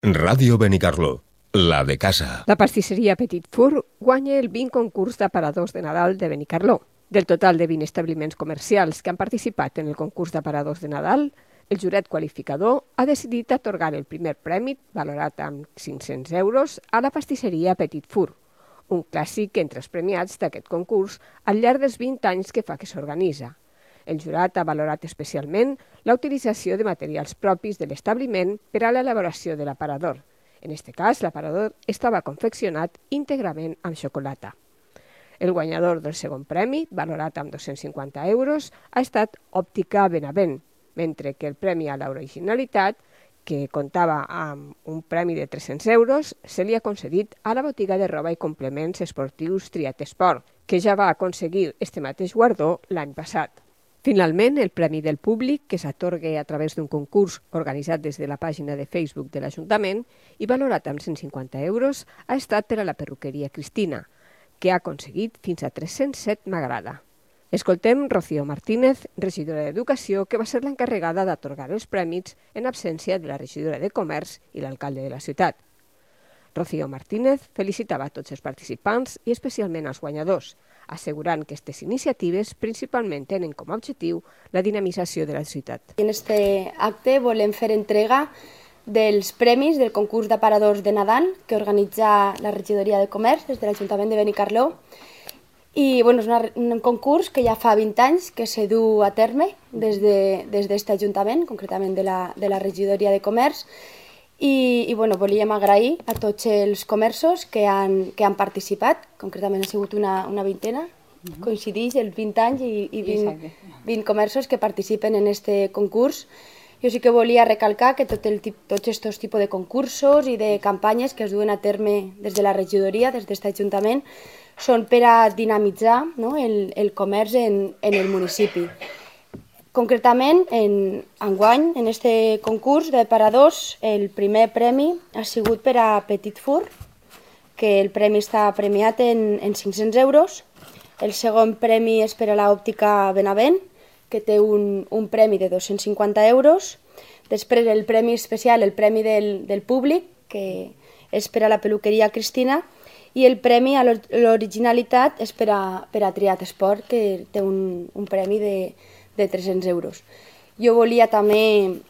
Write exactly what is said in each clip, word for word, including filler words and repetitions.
Ràdio Benicarló, la de casa. La pastisseria Petit Four guanya el vint concurs d'aparadors de Nadal de Benicarló. Del total de vint establiments comercials que han participat en el concurs d'aparadors de Nadal, el jurat qualificador ha decidit atorgar el primer premi, valorat amb cinc-cents euros, a la pastisseria Petit Four, un clàssic entre els premiats d'aquest concurs al llarg dels vint anys que fa que s'organitza. El jurat ha valorat especialment la utilització de materials propis de l'establiment per a l'elaboració de l'aparador. En aquest cas, l'aparador estava confeccionat íntegrament amb xocolata. El guanyador del segon premi, valorat amb dos-cents cinquanta euros, ha estat Òptica Benavent, mentre que el premi a l'originalitat, que comptava amb un premi de tres-cents euros, se li ha concedit a la botiga de roba i complements esportius Triat Esport, que ja va aconseguir este mateix guardó l'any passat. Finalment, el Premi del Públic, que s'atorga a través d'un concurs organitzat des de la pàgina de Facebook de l'Ajuntament i valorat amb cent cinquanta euros, ha estat per a la perruqueria Cristina, que ha aconseguit fins a tres-cents set m'agrada. Escoltem Rocío Martínez, regidora d'Educació, que va ser l'encarregada d'atorgar els prèmits en absència de la regidora de Comerç i l'alcalde de la ciutat. Rocío Martínez felicitava a tots els participants i especialment als guanyadors, assegurant que aquestes iniciatives principalment tenen com a objectiu la dinamització de la ciutat. En aquest acte volem fer entrega dels premis del concurs d'aparadors de Nadal que organitza la regidoria de Comerç des de l'Ajuntament de Benicarló. I bueno, és una, un concurs que ja fa vint anys que se du a terme des d'aquest Ajuntament, concretament de la, de la regidoria de Comerç. I, i bueno, volíem agrair a tots els comerços que han, que han participat, concretament ha sigut una, una vintena, uh-huh. Coincideix els vint anys i, i vint, vint comerços que participen en aquest concurs. Jo sí que volia recalcar que tot el, tots aquests tipus de concursos i de campanyes que es duen a terme des de la regidoria, des d'aquest Ajuntament, són per a dinamitzar, no, el, el comerç en, en el municipi. Concretament, en enguany, en aquest concurs d'aparadors, el primer premi ha sigut per a Petit Four, que el premi està premiat en, en cinc-cents euros. El segon premi és per a l'Òptica Benavent, que té un, un premi de dos-cents cinquanta euros. Després el premi especial, el premi del, del públic, que és per a la perruqueria Cristina, i el premi a l'originalitat és per a, per a Triat Esport, que té un, un premi de de tres-cents euros. Jo volia també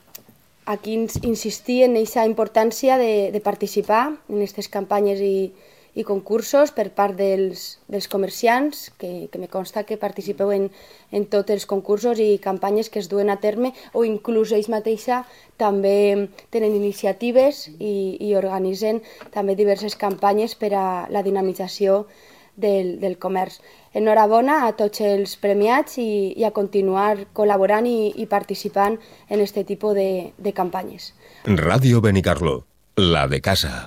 aquí insistir en aquesta importància de, de participar en aquestes campanyes i, i concursos per part dels, dels comerciants, que, que me consta que participeu en, en tots els concursos i campanyes que es duen a terme, o inclús ells mateixa també tenen iniciatives i, i organitzen també diverses campanyes per a la dinamització Del, del comerç. Enhorabona a tots els premiats i, i a continuar col·laborant i, i participant en aquest tipus de, de campanyes. Ràdio Benicarló, la de casa.